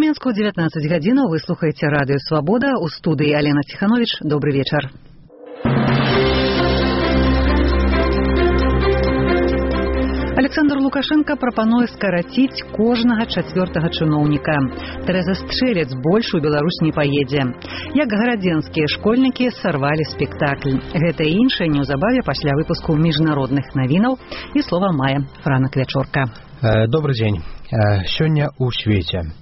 Мінску 19 гадзінаў. Вы слухаеце радыё «Свабода». У студыі Алена Ціхановіч. Добры вечар. Александр Лукашенко прапануе скараціць кожнага чацвёртага чыноўніка. Тэрэза Стрэлец больш у Беларусь не паедзе. Як гарадзенскія школьнікі сарвалі спектакль. Гэта і іншае неўзабаве пасля выпуску міжнародных навінаў. І слова мае Франак Вячорка. Добрый дзень. Сёння ў свеце.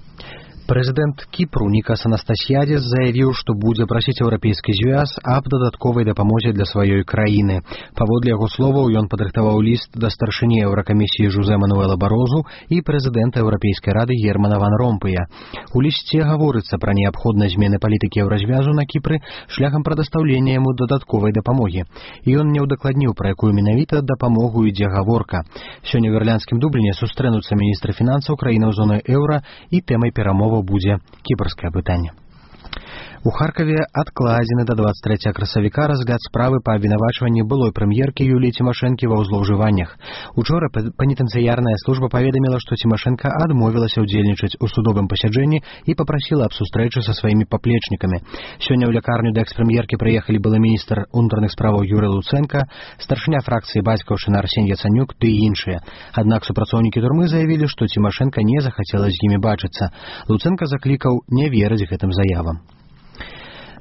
Прэзідэнт Кіпру Нікас Анастасіядзіс заявіў, што будзе прасіць Еўрапейскі звяз аб дадатковай дапамозе для сваёй краіны. Паводле яго словаў, ён падрыхтаваў ліст да старшыні Еўракамісіі Жозе Мануэла Барозу і прэзідэнта Еўрапейскай рады Германа ван Ромпыя. У лісце гаворыцца пра неабходнасць змены палітыкі Еўразвязу на Кіпры шляхам прадастаўлення яму дадатковай дапамогі. І ён не ўдакладніў, пра якую менавіта дапамогу ідзе гаворка. Сёння ў Ірландскім Дубліне сустрэнуцца міністры фінансаў краінаў зоны еўра і тэмай перамоваў будзе кіпрскае пытанне. У Харкаве адкладзены да 23 красавіка разгляд справы па абвінавачванні былой прэм'еркі Юліі Цімашэнкі ва злоўжываннях. Учора пенітэнцыярная служба паведаміла, што Цімашэнка адмовілася ўдзельнічаць у судовым пасяджэнні і папрасіла аб сустрэчы са сваімі паплечнікамі. Сёння ў лякарню да экс-прэм'еркі прыехалі былы міністр унутраных справаў Юрый Луцэнка, старшыня фракцыі бацькаўшчына Арсень Яцанюк ды іншыя. Аднак супрацоўнікі турмы заявілі, што Цімашэнка не захацела з імі бачыцца. Луцэнка заклікаў не верыць гэтым заявам.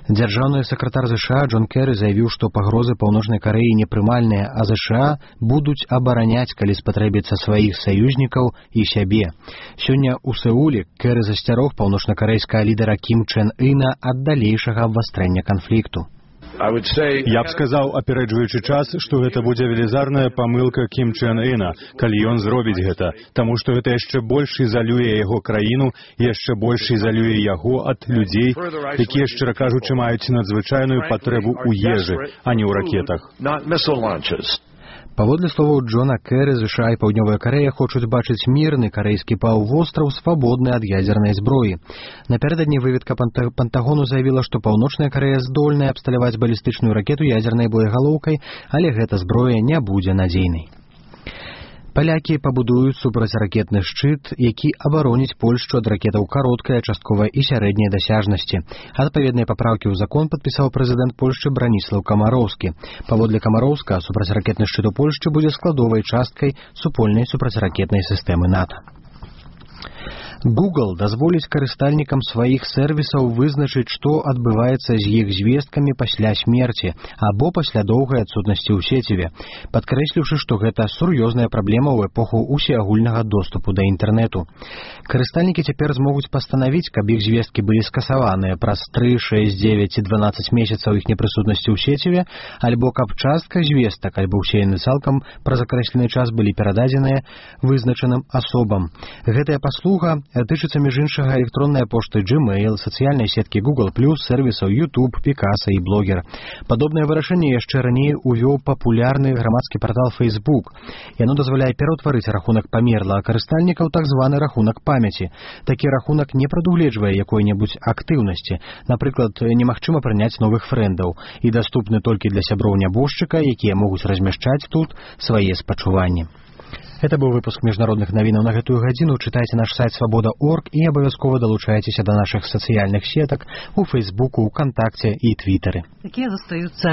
Дзяржаўны сакратар США Джон Керры заявіў, што пагрозы Паўночнай Карэі непрымальныя, а США будуць абараняць, калі спатрэбіцца сваіх саюзнікаў і сябе. Сёння ў Сеуле Керры засцярог паўночнакарэйскага лідара Кім Чен Іна ад далейшага абвастрэння канфлікту. Я б сказаў, апярэджваючы час, што гэта будзе велізарная памылка Кім Чен Іна, калі ён зробіць гэта, таму што гэта яшчэ больш ізалюе яго краіну, яшчэ больш ізалюе яго ад людзей, якія, шчыра кажучы, маюць надзвычайную патрэбу ў ежы, а не ў ракетах. Паводле словаў Джона Керры, США і Паўднёвая Карэя хочуць бачыць мірны карэйскі паўвостраў свабодны ад ядзернай зброі. Напярэдадні выведка Пентагону заявіла, што Паўночная Карэя здольная абсталяваць балістычную ракету ядзернай боегалоўкай, але гэта зброя не будзе надзейнай. Палякі пабудуюць супрацьракетны шчыт, які абароніць Польшчу ад ракетаў кароткай, частковай і сярэдняй дасяжнасці. Адпаведныя папраўкі ў закон падпісаў прэзідэнт Польшчы Браніслаў Камароўскі. Паводле Камароўска, супрацьракетны шчыт у Польшчы будзе складовай часткай супольнай супрацьракетнай сістэмы НАТО. Google дазволіць карыстальнікам сваіх сервісаў вызначыць, што адбываецца з іх звесткамі пасля смерці або пасля доўгай адсутнасці ў сеціве, падкрэсліўшы, што гэта сур'ёзная праблема ў эпоху усеагульнага доступу да інтэрнэту. Карыстальнікі цяпер змогуць пастанавіць, каб іх звесткі былі скасаваныя праз 3, 6, 9 і 12 месяцаў іх непрысутнасці ў сеціве, альбо каб частка звестак, альбо ўсе яны цалкам праз акрэслены час былі перададзеныя вызначаным асобам. Гэтая паслуга тычыцца між іншага электроннай пошты Gmail, сацыяльнай сеткі Google+, сервісаў YouTube, Picasa і Blogger. Падобнае вырашэнне яшчэ раней увёў папулярны грамадскі партал Facebook. Яно дазваляе пераўтварыць рахунак памерлага карыстальніка ў так званы рахунак памяці. Такі рахунак не прадугледжвае якой-небудзь актыўнасці. Напрыклад, немагчыма прыняць новых фрэндаў і даступны толькі для сяброў нябожчыка, якія могуць размяшчаць тут свае спачуванні. Это быў выпуск міжнародных навінаў на гэтую гадзіну. Чытайце наш сайт свабода.орг і абавязкова далучайцеся да нашых сацыяльных сетак у Фейсбуку, ВКонтакце і Твіттеры. Якія застаюцца